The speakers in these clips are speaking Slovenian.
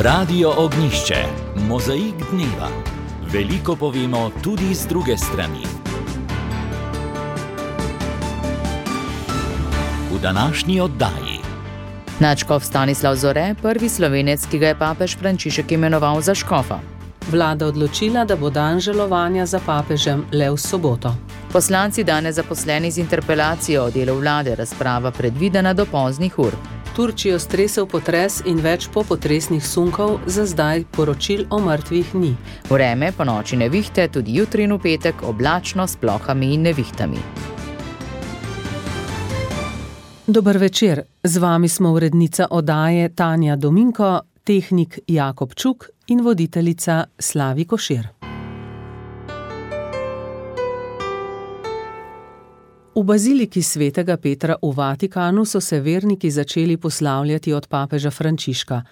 Radio Ognjišče, mozaik dneva. Veliko povemo tudi z druge strani. V današnji oddaji. Nadškof Stanislav Zore, prvi Slovenec, ki ga je papež Frančišek imenoval za škofa. Vlada odločila, da bo dan žalovanja za papežem le v soboto. Poslanci danes zaposleni z interpelacijo o delu vlade, razprava predvidena do poznih ur. Turčijo stresel potres in več popotresnih sunkov, za zdaj poročil o mrtvih ni. Vreme ponoči nevihte, tudi jutri in v petek oblačno s plohami in nevihtami. Dober večer, z vami smo urednica oddaje Tanja Dominko, tehnik Jakob Čuk in voditeljica Slavi Košir. V baziliki svetega Petra v Vatikanu so se verniki začeli poslavljati od papeža Frančiška.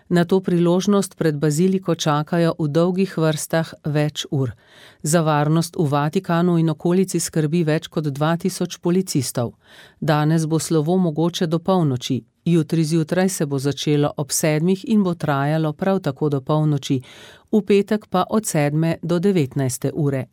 Na to priložnost pred baziliko čakajo v dolgih vrstah več ur. Za varnost v Vatikanu in okolici skrbi več kot 2000 policistov. Danes bo slovo mogoče do polnoči. Jutri zjutraj se bo začelo ob 7 in bo trajalo prav tako do polnoči, v petek pa od 7 do 19 ure.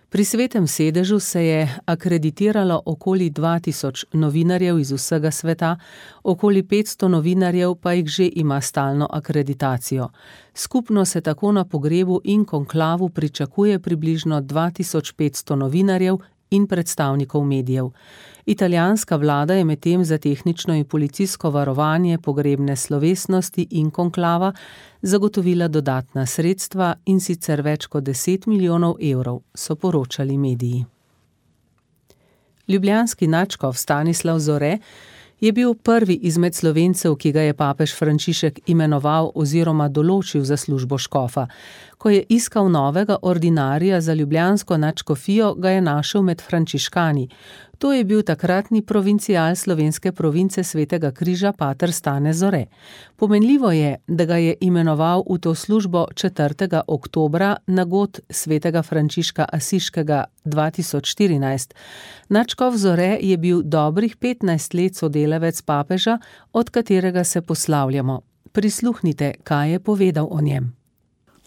Pri Svetem sedežu se je akreditiralo okoli 2000 novinarjev iz vsega sveta, okoli 500 novinarjev pa jih že ima stalno akreditacijo. Skupno se tako na pogrebu in konklavu pričakuje približno 2500 novinarjev in predstavnikov medijev. Italijanska vlada je medtem za tehnično in policijsko varovanje pogrebne slovesnosti in konklava zagotovila dodatna sredstva, in sicer več kot 10 milijonov evrov, so poročali mediji. Ljubljanski nadškof Stanislav Zore je bil prvi izmed Slovencev, ki ga je papež Frančišek imenoval oziroma določil za službo škofa. Ko je iskal novega ordinarija za ljubljansko nadškofijo, ga je našel med frančiškani. To je bil takratni provincial slovenske province Svetega križa pater Stane Zore. Pomenljivo je, da ga je imenoval v to službo 4. oktobra na god Svetega Frančiška Asiškega 2014. Nadškof Zore je bil dobrih 15 let sodelavec papeža, od katerega se poslavljamo. Prisluhnite, kaj je povedal o njem.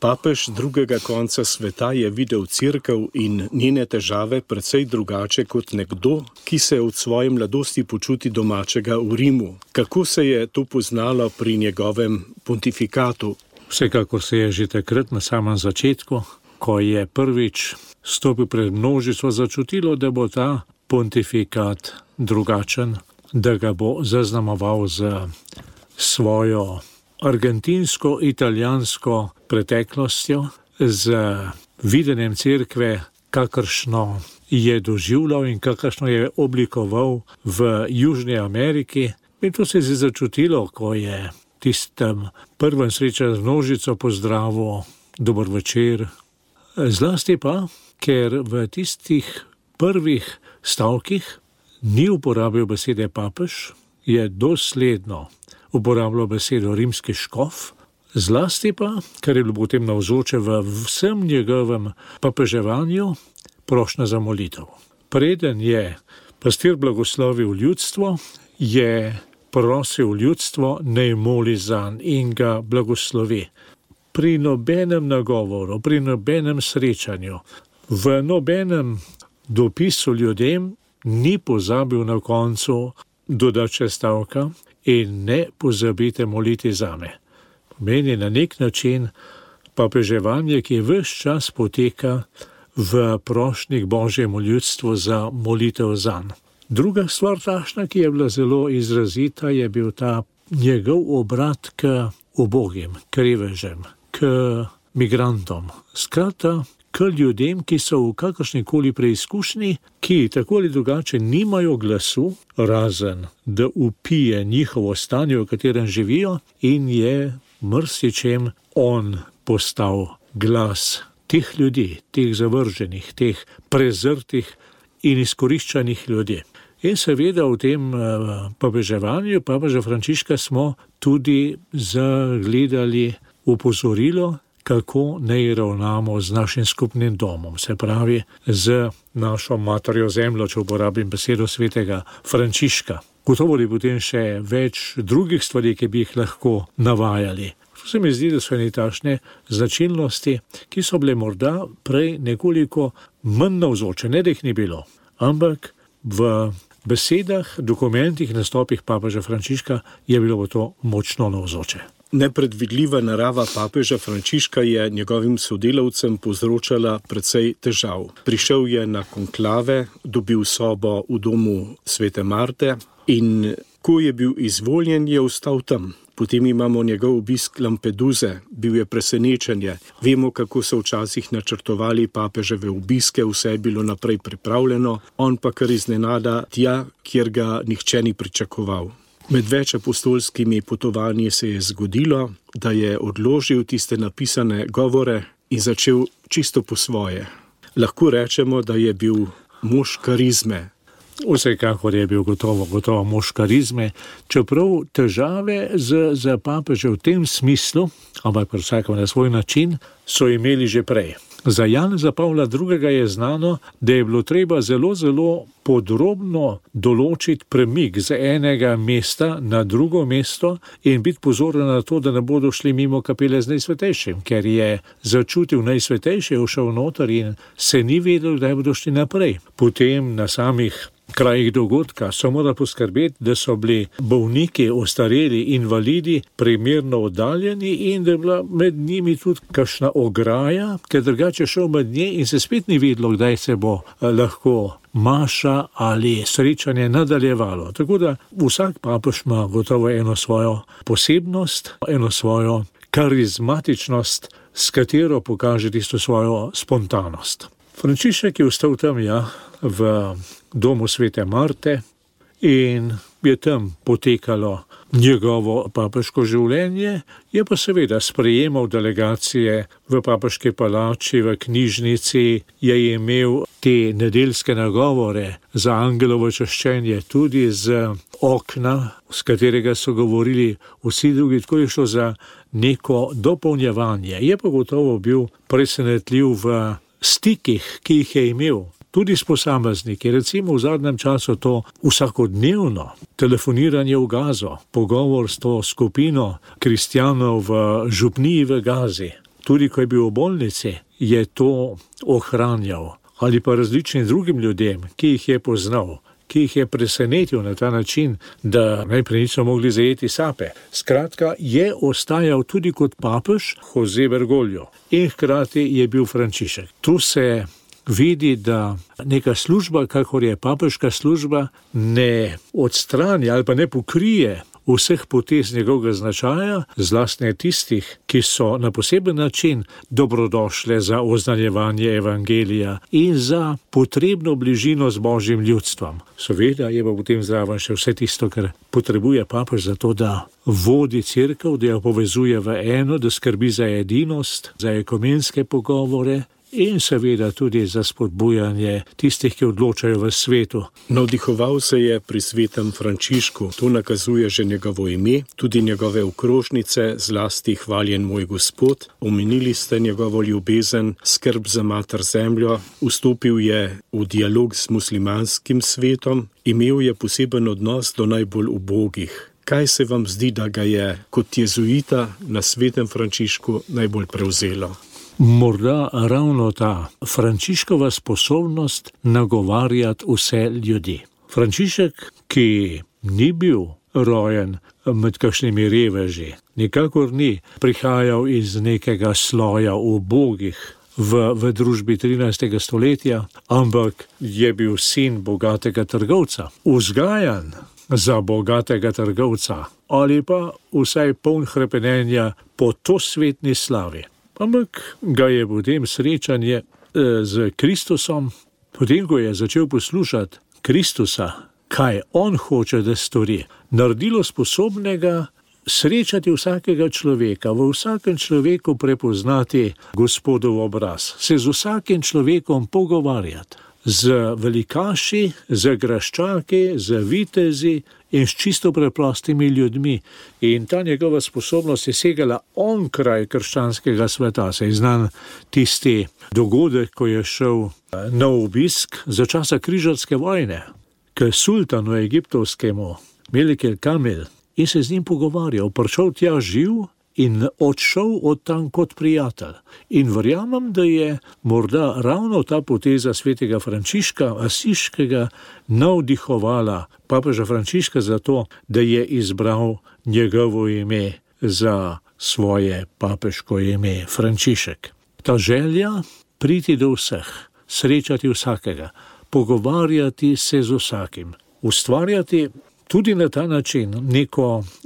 Papež drugega konca sveta je videl cerkev in njene težave precej drugače kot nekdo, ki se od svoje mladosti počuti domačega v Rimu. Kako se je to poznalo pri njegovem pontifikatu? Vsekakor se je že takrat na samem začetku, ko je prvič stopil pred množico, začutilo, da bo ta pontifikat drugačen, da ga bo zaznamoval z svojo argentinsko-italijansko preteklostjo, z videnjem cerkve, kakršno je doživljal in kakršno je oblikoval v Južni Ameriki. In to se je začutilo, ko je tistem prvem srečanju z množico pozdravil dober večer. Zlasti pa, ker v tistih prvih stavkih ni uporabil besede papež, je dosledno uporabljal besedo rimski škof, zlasti pa, kar je bilo potem navzoče v vsem njegovem papeževanju, prošnja za molitev. Preden je pastir blagoslovil ljudstvo, je prosil ljudstvo, naj moli zanj in ga blagoslovi. Pri nobenem nagovoru, pri nobenem srečanju, v nobenem dopisu ljudem ni pozabil na koncu dodati stavka: in ne pozabite moliti zame. Pomeni na nek način papeževanje, ki ves čas poteka v prošnji k Božjemu ljudstvu za molitev zanj. Druga stvar takšna, ki je bila zelo izrazita, je bil ta njegov obrat k ubogim, k revežem, k migrantom. Skratka, k ljudem, ki so v kakršnikoli preizkušnji, ki tako ali drugače nimajo glasu, razen da upije njihovo stanje, v katerem živijo, in je marsičem on postal glas teh ljudi, teh zavrženih, teh prezrtih in izkoriščanih ljudi. In seveda v tem papeževanju papeža Frančiška smo tudi zagledali opozorilo, kako naj ravnamo z našim skupnim domom, se pravi z našo materjo zemljo, če uporabim besedo svetega Frančiška. Gotovo je potem še več drugih stvari, ki bi jih lahko navajali. To se mi zdi, da so ene takšne značilnosti, ki so bile morda prej nekoliko manj navzoče, ne da jih ni bilo, ampak v besedah, dokumentih, nastopih papeža Frančiška je bilo to močno navzoče. Nepredvidljiva narava papeža Frančiška je njegovim sodelavcem povzročala precej težav. Prišel je na konklave, dobil sobo v domu Svete Marte in ko je bil izvoljen, je ostal tam. Potem imamo njegov obisk Lampeduze, bil je presenečenje. Vemo, kako so včasih načrtovali papeževe obiske, vse je bilo naprej pripravljeno, on pa kar iznenada tja, kjer ga nihče ni pričakoval. Med več apostolskimi potovanji se je zgodilo, da je odložil tiste napisane govore in začel čisto po svoje. Lahko rečemo, da je bil mož karizme. Vsekakor je bil gotovo mož karizme, čeprav težave z papežem v tem smislu, ampak pri vsakem na svoj način, so imeli že prej. Za Janeza Pavla II. Je znano, da je bilo treba zelo podrobno določiti premik z enega mesta na drugo mesto in biti pozoren na to, da ne bodo šli mimo kapele z Najsvetejšim, ker je začutil Najsvetejše, všel noter in se ni vedel, da bodo šli naprej. Potem na samih krajih dogodka so morali poskrbeti, da so bili bolniki, ostareli, invalidi primerno oddaljeni in da je bila med njimi tudi kakšna ograja, ker drugače šel med nje in se spet ni vedelo, kdaj se bo lahko maša ali srečanje nadaljevalo. Tako da vsak papež ima gotovo eno svojo posebnost, eno svojo karizmatičnost, s katero pokaže tisto svojo spontanost. Frančišek je ostal tam, v domu Svete Marte in je tam potekalo njegovo papežko življenje, je pa seveda sprejemal delegacije v papežki palači, v knjižnici, je imel te nedeljske nagovore za angelovo čaščenje tudi z okna, s katerega so govorili vsi drugi, tako je šlo za neko dopolnjevanje. Je pa gotovo bil presenetljiv v stikih, ki jih je imel. Tudi s posamezniki, recimo v zadnjem času to vsakodnevno telefoniranje v Gazo, pogovor s to skupino kristjanov v župniji v Gazi, tudi ko je bil v bolnici, je to ohranjal. Ali pa različnim drugim ljudem, ki jih je poznal, ki jih je presenetil na ta način, da najprej niso mogli zajeti sape. Skratka, je ostajal tudi kot papež Jose Bergoglio in hkrati je bil Frančišek. Tu se vidi, da neka služba, kakor je papežka služba, ne odstrani ali pa ne pokrije vseh potez njegovega značaja, zlasti tistih, ki so na poseben način dobrodošle za oznanjevanje evangelija in za potrebno bližino z Božjim ljudstvom. Seveda je pa potem zraven še vse tisto, kar potrebuje papež za to, da vodi cerkev, da jo povezuje v eno, da skrbi za edinost, za ekumenske pogovore in seveda tudi za spodbujanje tistih, ki odločajo v svetu. Navdihoval se je pri svetem Frančišku, to nakazuje že njegovo ime, tudi njegove okrožnice, zlasti Hvaljen moj Gospod. Omenili ste njegovo ljubezen, skrb za mater zemljo, vstopil je v dialog s muslimanskim svetom, imel je poseben odnos do najbolj ubogih. Kaj se vam zdi, da ga je kot jezuita na svetem Frančišku najbolj prevzelo? Morda ravno ta Frančiškova sposobnost nagovarjati vse ljudi. Frančišek, ki ni bil rojen med kakšnimi reveži, nikakor ni prihajal iz nekega sloja ubogih v družbi 13. stoletja, ampak je bil sin bogatega trgovca, vzgajan za bogatega trgovca ali pa vsaj poln hrepenenja po tosvetni slavi. Ampak ga je potem srečanje z Kristusom, potem ko je začel poslušati Kristusa, kaj on hoče, da stori, naredilo sposobnega srečati vsakega človeka, v vsakem človeku prepoznati Gospodov obraz, se z vsakim človekom pogovarjati, z velikaši, z graščaki, z vitezi in s čisto preprostimi ljudmi. In ta njegova sposobnost je segala onkraj krščanskega sveta. Se je znan tisti dogodek, ko je šel na obisk za časa križarske vojne k sultanu egiptovskemu Melik el Kamel in se z njim pogovarjal. Prišel tja živ in odšel od tam kot prijatelj. In verjamem, da je morda ravno ta poteza svetega Frančiška Asiškega navdihovala papeža Frančiška za to, da je izbral njegovo ime za svoje papeško ime Frančišek. Ta želja priti do vseh, srečati vsakega, pogovarjati se z vsakim, ustvarjati tudi na ta način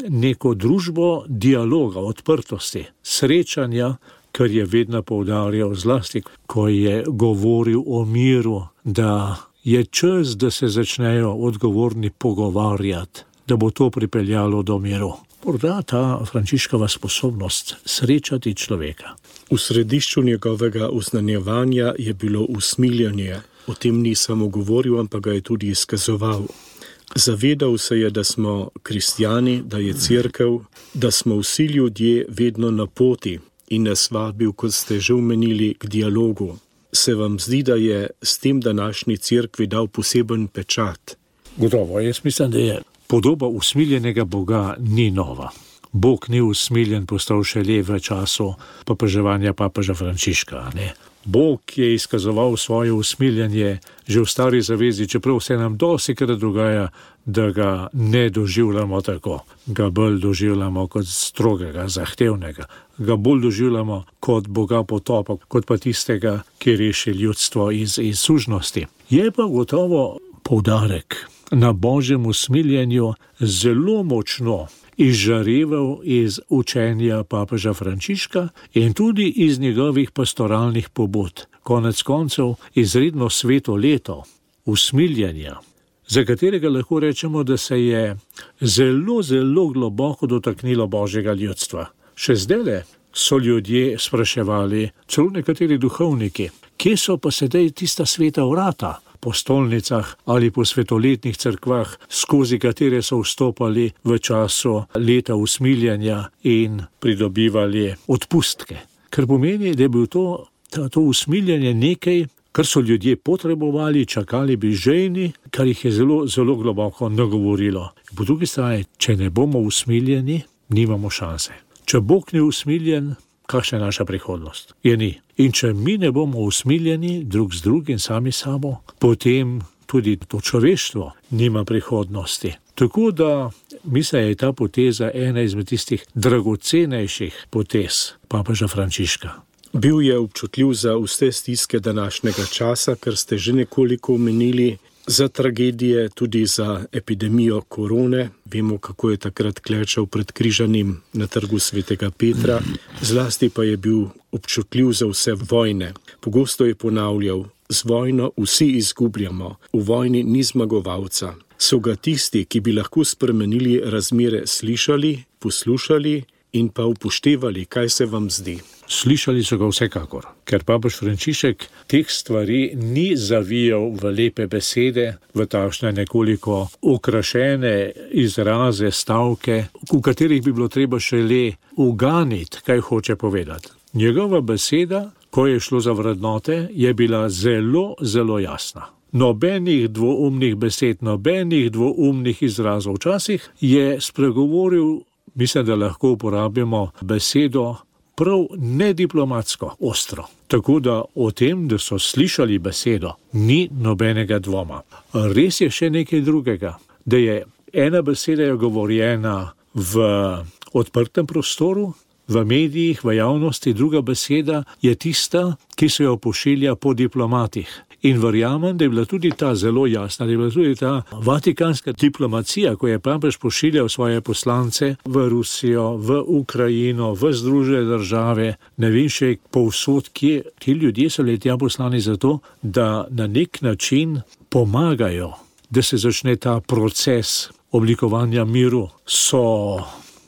neko družbo dialoga, odprtosti, srečanja, kar je vedno poudarjal zlasti, ko je govoril o miru, da je čas, da se začnejo odgovorni pogovarjati, da bo to pripeljalo do miru. Morda ta Frančiškova sposobnost srečati človeka. V središču njegovega uznanjevanja je bilo usmiljanje. O tem ni samo govoril, ampak ga je tudi izkazoval. Zavedal se je, da smo kristjani, da je cerkev, da smo vsi ljudje vedno na poti in nas vabil, kot ste že omenili, k dialogu. Se vam zdi, da je s tem današnji cerkvi dal poseben pečat? Gotovo, jaz mislim, da je podoba usmiljenega Boga ni nova. Bog ni usmiljen postal šele v času papeževanja papeža Frančiška, ne. Bog je izkazoval svoje usmiljenje že v Stari zavezi, čeprav se nam dostikrat dogaja, da ga ne doživljamo tako. Ga bolj doživljamo kot strogega, zahtevnega. Ga bolj doživljamo kot Boga potopa, kot pa tistega, ki reši ljudstvo iz sužnosti. Je pa gotovo poudarek na Božjem usmiljenju zelo močno izžareval iz učenja papeža Frančiška in tudi iz njegovih pastoralnih pobud. Konec koncev izredno sveto leto usmiljenja, za katerega lahko rečemo, da se je zelo, zelo globoko dotaknilo Božjega ljudstva. Še zdajle so ljudje spraševali, celo nekateri duhovniki, kje so pa sedaj tista sveta vrata po stolnicah ali po svetoletnih cerkvah, skozi katere so vstopali v času leta usmiljenja in pridobivali odpustke. Kar pomeni, da je bil to usmiljenje nekaj, kar so ljudje potrebovali, čakali bi žejni, kar jih je zelo, zelo globoko nagovorilo. Po drugi strani, če ne bomo usmiljeni, nimamo šanse. Če Bog ni usmiljen, kakšna je naša prihodnost? Je ni. In če mi ne bomo usmiljeni drug z drugim, sami sabo, potem tudi to človeštvo nima prihodnosti. Tako da mislim, da je ta poteza ena izmed tistih dragocenejših potez papeža Frančiška. Bil je občutljiv za vse stiske današnjega časa, kar ste že nekoliko omenili, za tragedije, tudi za epidemijo korone. Vemo, kako je takrat klečal pred križanim na trgu svetega Petra. Zlasti pa je bil občutljiv za vse vojne. Pogosto je ponavljal, z vojno vsi izgubljamo, v vojni ni zmagovalca. So ga tisti, ki bi lahko spremenili razmere, slišali, poslušali in pa upoštevali, kaj se vam zdi? Slišali so ga vsekakor, ker papež Frančišek teh stvari ni zavijal v lepe besede, v takšne nekoliko okrašene izraze, stavke, v katerih bi bilo treba šele uganiti, kaj hoče povedati. Njegova beseda, ko je šlo za vrednote, je bila zelo, zelo jasna. Nobenih dvoumnih besed, nobenih dvoumnih izrazov. Včasih je spregovoril, mislim, da lahko uporabimo besedo prav nediplomatsko, ostro. Tako da o tem, da so slišali besedo, ni nobenega dvoma. Res je še nekaj drugega, da je ena beseda je govorjena v odprtem prostoru, v medijih, v javnosti, druga beseda je tista, ki se jo pošilja po diplomatih. In verjamem, da je bila tudi ta zelo jasna, da je bila tudi ta vatikanska diplomacija, ko je papež pošiljal svoje poslance v Rusijo, v Ukrajino, v Združene države, ne vem še povsod, kje ti ljudje so letja poslani zato, da na nek način pomagajo, da se začne ta proces oblikovanja miru. So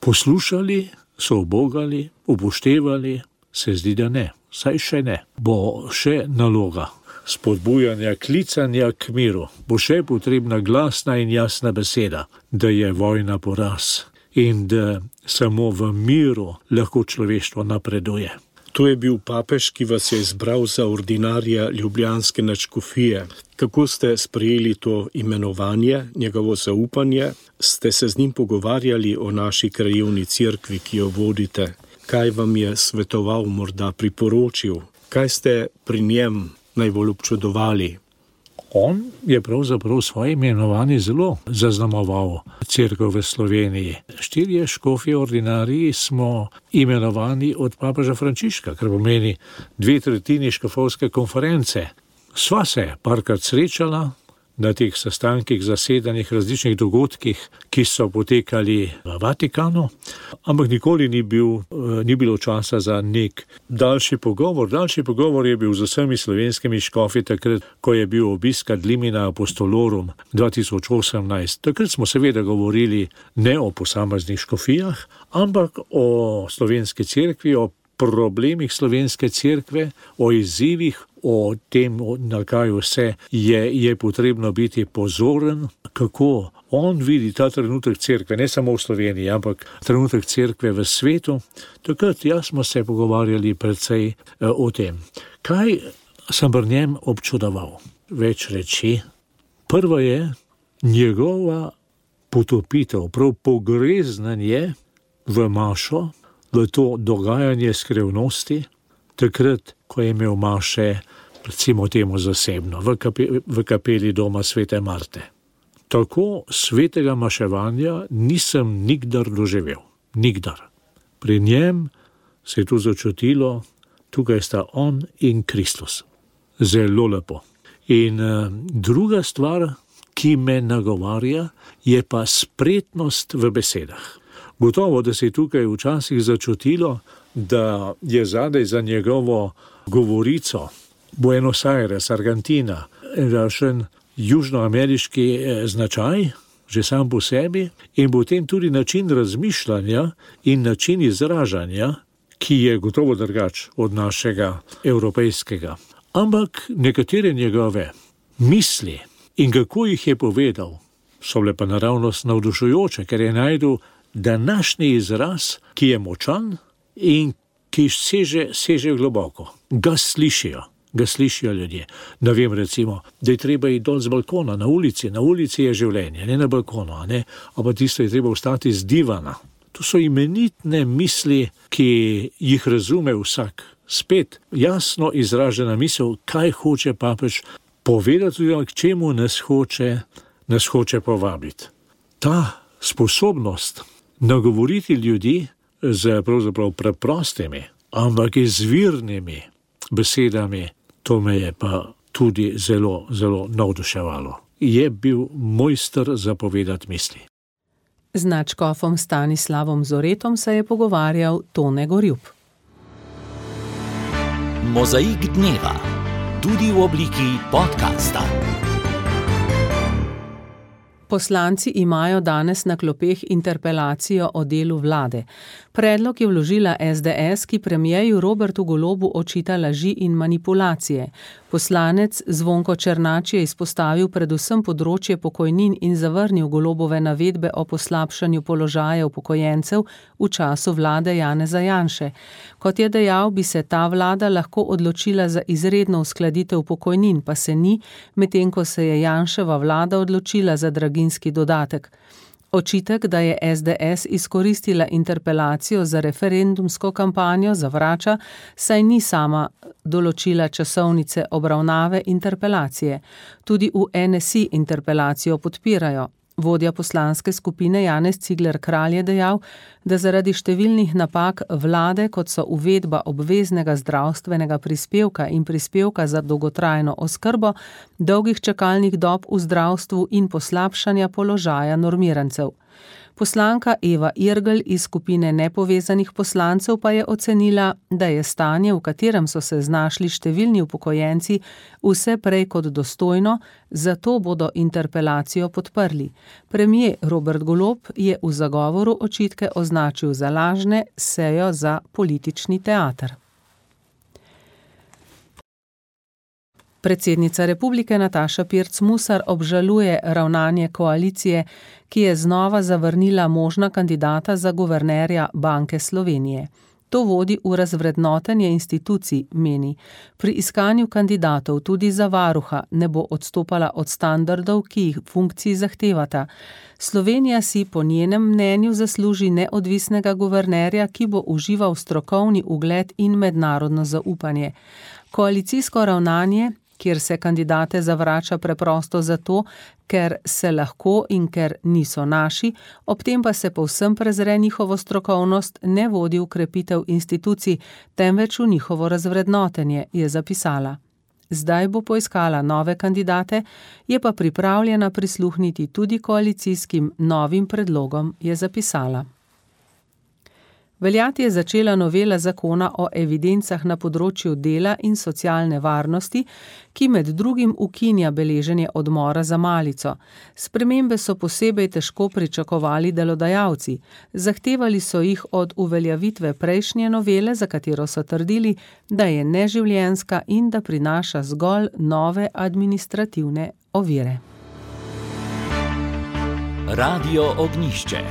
poslušali, so ubogali, upoštevali, se zdi, da ne, saj še ne. Bo še naloga spodbujanja, klicanja k miru. Bo še potrebna glasna in jasna beseda, da je vojna poraz in da samo v miru lahko človeštvo napreduje. To je bil papež, ki vas je izbral za ordinarja ljubljanske nadškofije. Kako ste sprejeli to imenovanje, njegovo zaupanje? Ste se z njim pogovarjali o naši krajevni cerkvi, ki jo vodite? kaj vam je svetoval, morda priporočil, kaj ste pri njem najbolj občudovali? On je pravzaprav svoje imenovanje zelo zaznamoval cerkev v Sloveniji. 4 škofje ordinariji smo imenovani od papeža Frančiška, kar pomeni 2/3 škofovske konference. Sva se parkrat srečala na teh sestankih, zasedanjih, različnih dogodkih, ki so potekali v Vatikanu, ampak nikoli ni bilo časa za nek daljši pogovor. Daljši pogovor je bil z vsemi slovenskimi škofi takrat, ko je bil obisk Ad limina apostolorum 2018. Takrat smo seveda govorili ne o posameznih škofijah, ampak o slovenski cerkvi, o problemih slovenske cerkve, o izzivih, o tem, na kaj vse je potrebno biti pozoren, kako on vidi ta trenutek cerkve, ne samo v Sloveniji, ampak trenutek cerkve v svetu. Takrat smo se pogovarjali precej o tem. Kaj sem pri njem občudoval? Več reči. Prvo je njegova potopitev, prav pogreznanje v mašo, v to dogajanje skrivnosti, takrat, ko je imel maše, recimo temu zasebno, v kapeli doma Svete Marte. Tako svetega maševanja nisem nikdar doživel. Nikdar. Pri njem se je tu začutilo, tukaj sta on in Kristus. Zelo lepo. In druga stvar, ki me nagovarja, je pa spretnost v besedah. Gotovo, da se je tukaj včasih začutilo, da je zadaj za njegovo govorico Buenos Aires, Argentina, rašen južnoameriški značaj, že sam po sebi, in potem tudi način razmišljanja in način izražanja, ki je gotovo drugač od našega evropejskega. Ampak nekatere njegove misli in kako jih je povedal, so bile pa naravnost navdušujoče, ker je najdel današnji izraz, ki je močan in ki seže globoko. Ga slišijo ljudje. Ne vem, recimo, da je treba iti dol z balkona, na ulici je življenje, ne na balkonu, ne? Ampak tisto je treba ostati z divana. To so imenitne misli, ki jih razume vsak. Spet jasno izražena misel, kaj hoče papež povedati, k čemu nas hoče povabiti. Ta sposobnost nagovoriti ljudi z pravzaprav preprostimi, ampak izvirnimi besedami, to me je pa tudi zelo, zelo navduševalo. Je bil mojster zapovedati misli. Z nadškofom Stanislavom Zoretom se je pogovarjal Tone Gorjup. Mozaik dneva, tudi v obliki podcasta. Poslanci imajo danes na klopeh interpelacijo o delu vlade. Predlog je vložila SDS, ki premierju Robertu Golobu očita laži in manipulacije. Poslanec Zvonko Černač je izpostavil predvsem področje pokojnin in zavrnil Golobove navedbe o poslabšanju položaja upokojencev v času vlade Janeza Janše. Kot je dejal, bi se ta vlada lahko odločila za izredno uskladitev pokojnin, pa se ni, medtem ko se je Janševa vlada odločila za draginjski dodatek. Očitek, da je SDS izkoristila interpelacijo za referendumsko kampanjo, zavrača, saj ni sama določila časovnice obravnave interpelacije. Tudi v NSI interpelacijo podpirajo. Vodja poslanske skupine Janez Cigler Kralj je dejal, da zaradi številnih napak vlade, kot so uvedba obveznega zdravstvenega prispevka in prispevka za dolgotrajno oskrbo, dolgih čakalnih dob v zdravstvu in poslabšanja položaja normirancev. Poslanka Eva Irgl iz skupine nepovezanih poslancev pa je ocenila, da je stanje, v katerem so se znašli številni upokojenci, vse prej kot dostojno, zato bodo interpelacijo podprli. Premier Robert Golob je v zagovoru očitke označil za lažne, sejo za politični teater. Predsednica republike Nataša Pirc Musar obžaluje ravnanje koalicije, ki je znova zavrnila možna kandidata za guvernerja Banke Slovenije. To vodi v razvrednotenje institucij, meni. Pri iskanju kandidatov tudi za varuha ne bo odstopala od standardov, ki jih funkciji zahtevata. Slovenija si po njenem mnenju zasluži neodvisnega guvernerja, ki bo užival strokovni ugled in mednarodno zaupanje. Koalicijsko ravnanje, kjer se kandidate zavrača preprosto zato, ker se lahko in ker niso naši, ob tem pa se povsem prezre njihovo strokovnost, ne vodi v krepitev institucij, temveč v njihovo razvrednotenje, je zapisala. Zdaj bo poiskala nove kandidate, je pa pripravljena prisluhniti tudi koalicijskim novim predlogom, je zapisala. Veljati je začela novela zakona o evidencah na področju dela in socialne varnosti, ki med drugim ukinja beleženje odmora za malico. Spremembe so posebej težko pričakovali delodajalci. Zahtevali so jih od uveljavitve prejšnje novele, za katero so trdili, da je neživljenjska in da prinaša zgolj nove administrativne ovire. Radio Ognjišče.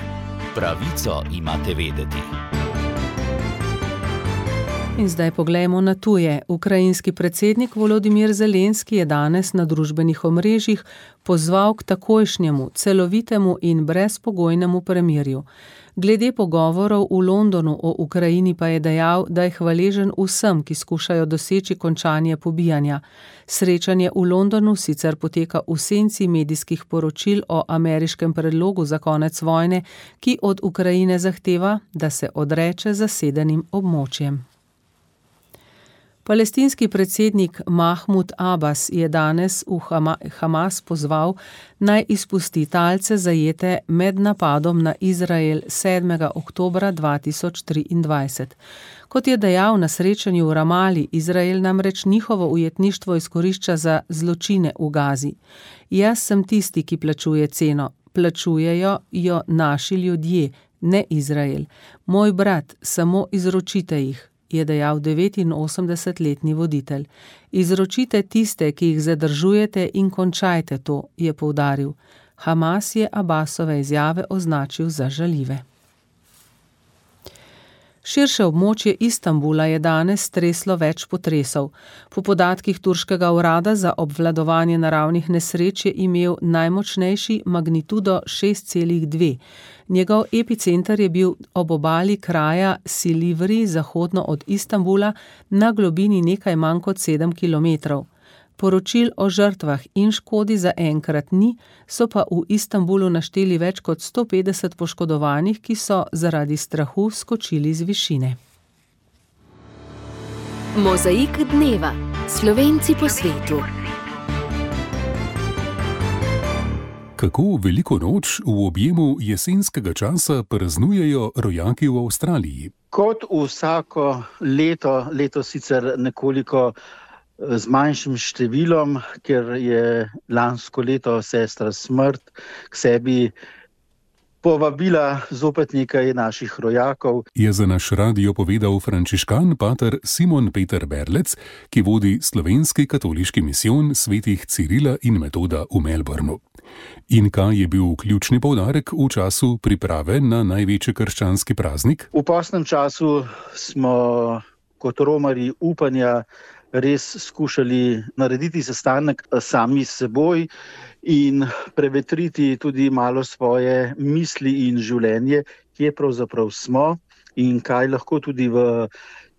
Pravico imate vedeti. In zdaj poglejmo na tuje. Ukrajinski predsednik Volodimir Zelenski je danes na družbenih omrežjih pozval k takojšnjemu, celovitemu in brezpogojnemu premirju. Glede pogovorov v Londonu o Ukrajini pa je dejal, da je hvaležen vsem, ki skušajo doseči končanje pobijanja. Srečanje v Londonu sicer poteka v senci medijskih poročil o ameriškem predlogu za konec vojne, ki od Ukrajine zahteva, da se odreče zasedenim območjem. Palestinski predsednik Mahmud Abbas je danes v Hamas pozval, naj izpusti talce zajete med napadom na Izrael 7. oktobra 2023. Kot je dejal na srečanju v Ramali, Izrael namreč njihovo ujetništvo izkorišča za zločine v Gazi. Jaz sem tisti, ki plačuje ceno. Plačujejo jo naši ljudje, ne Izrael. Moj brat, samo izročite jih, je dejal 89-letni voditelj. Izročite tiste, ki jih zadržujete in končajte to, je poudaril. Hamas je Abbasove izjave označil za žaljive. Širše območje Istanbula je danes streslo več potresov. Po podatkih turškega urada za obvladovanje naravnih nesreč je imel najmočnejši magnitudo 6,2. Njegov epicenter je bil ob obali kraja Silivri, zahodno od Istanbula, na globini nekaj manj kot 7 kilometrov. Poročil o žrtvah in škodi zaenkrat ni, so pa v Istanbulu našteli več kot 150 poškodovanih, ki so zaradi strahu skočili z višine. Mozaik dneva. Slovenci po svetu. Kako veliko noč v objemu jesenskega časa praznujejo rojaki v Avstraliji? Kot vsako leto, letos sicer nekoliko z manjšim številom, ker je lansko leto sestra Smrt k sebi povabila zopet nekaj naših rojakov. Je za naš radio povedal frančiškan pater Simon Peter Berlec, ki vodi slovenski katoliški misijon svetih Cirila in Metoda v Melbournu. In kaj je bil ključni poudarek v času priprave na največji krščanski praznik? V postnem času smo kot romarji upanja res skušali narediti sestanek sami s seboj in prevetriti tudi malo svoje misli in življenje, kje pravzaprav smo in kaj lahko tudi v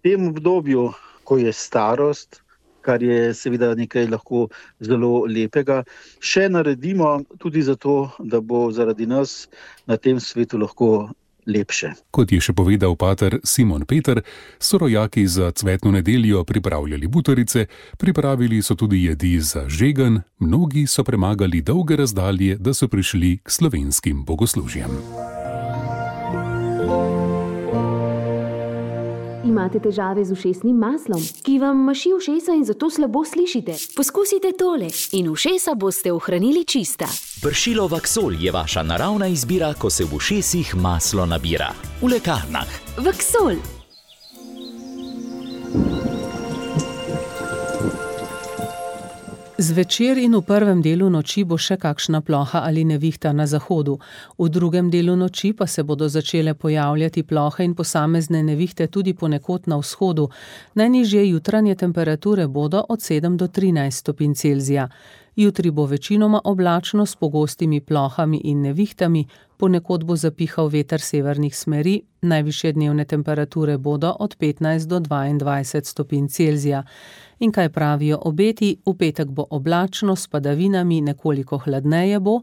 tem obdobju, ko je starost, kar je seveda nekaj lahko zelo lepega, še naredimo tudi zato, da bo zaradi nas na tem svetu lahko lepše. Kot je še povedal pater Simon Peter, so rojaki za cvetno nedeljo pripravljali butarice, pripravili so tudi jedi za žegen, mnogi so premagali dolge razdalje, da so prišli k slovenskim bogoslužjem. Imate težave z ušesnim maslom, ki vam maši ušesa in zato slabo slišite? Poskusite tole in ušesa boste ohranili čista. Pršilo Vaksol je vaša naravna izbira, ko se v ušesih maslo nabira. V lekarnah. Vaksol. Zvečer in v prvem delu noči bo še kakšna ploha ali nevihta na zahodu. V drugem delu noči pa se bodo začele pojavljati plohe in posamezne nevihte tudi ponekod na vzhodu. Najnižje jutranje temperature bodo od 7 do 13 stopinj Celzija. Jutri bo večinoma oblačno s pogostimi plohami in nevihtami, ponekod bo zapihal veter severnih smeri, najvišje dnevne temperature bodo od 15 do 22 stopinj Celzija. In kaj pravijo obeti? V petek bo oblačno s padavinami, nekoliko hladneje bo,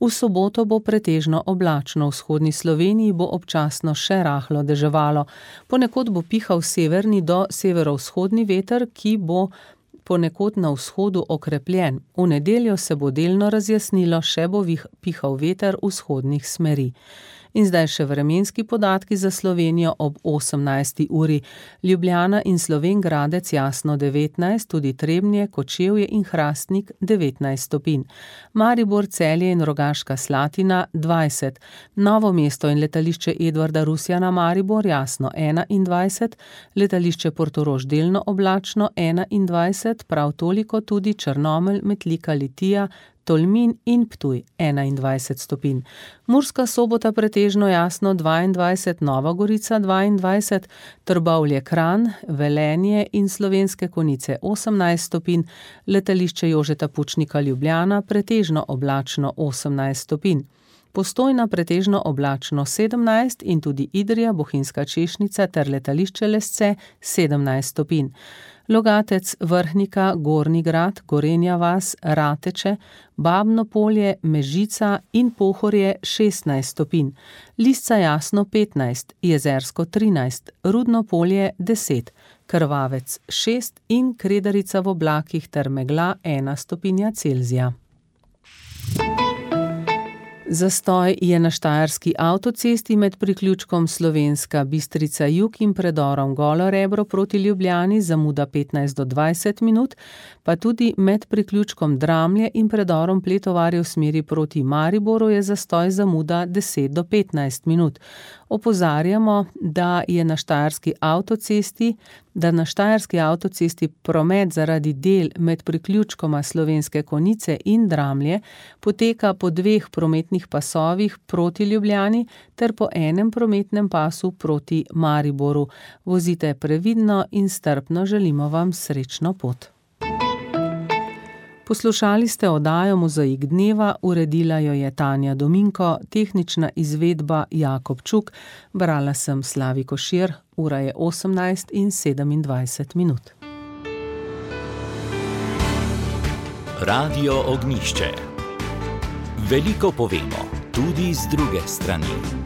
v soboto bo pretežno oblačno, v vzhodni Sloveniji bo občasno še rahlo deževalo. Ponekod bo pihal severni do severovzhodni veter, ki bo ponekod na vzhodu okrepljen. V nedeljo se bo delno razjasnilo, še bo pihal veter vzhodnih smeri. In zdaj še vremenski podatki za Slovenijo ob 18. uri. Ljubljana in Slovenj Gradec jasno 19, tudi Trebnje, Kočevje in Hrastnik 19 stopinj. Maribor, Celje in Rogaška Slatina 20. Novo mesto in letališče Edvarda Rusjana Maribor jasno 21, letališče Portorož delno oblačno 21, prav toliko tudi Črnomelj, Metlika, Litija, Tolmin in Ptuj 21 stopinj. Murska Sobota pretežno jasno 22, Nova Gorica 22, Trbovlje, Kranj, Velenje in Slovenske Konjice 18 stopinj, letališče Jožeta Pučnika Ljubljana pretežno oblačno 18 stopinj. Postojna pretežno oblačno 17 in tudi Idrija, Bohinjska Češnica ter letališče Lesce 17 stopinj. Logatec, Vrhnika, Gornji Grad, Gorenja vas, Rateče, Babno Polje, Mežica in Pohorje 16 stopinj. Lisca jasno 15, Jezersko 13, Rudno Polje 10, Krvavec 6 in Kredarica v oblakih ter megla 1 stopinja Celzija. Zastoj je na štajerski avtocesti med priključkom Slovenska Bistrica jug in predorom Golo Rebro proti Ljubljani, zamuda 15 do 20 minut, pa tudi med priključkom Dramlje in predorom Pletovarje v smeri proti Mariboru je zastoj zamuda 10 do 15 minut. Opozarjamo, da na štajerski avtocesti promet zaradi del med priključkoma Slovenske Konjice in Dramlje poteka po 2 prometnih pasovih proti Ljubljani ter po 1 prometnem pasu proti Mariboru. Vozite previdno in strpno, želimo vam srečno pot. Poslušali ste oddajo Mozaik dneva, uredila jo je Tanja Dominko, tehnična izvedba Jakob Čuk, brala sem Slavi Košir, ura je 18 in 27 minut. Radio Ognjišče. Veliko povemo, tudi z druge strani.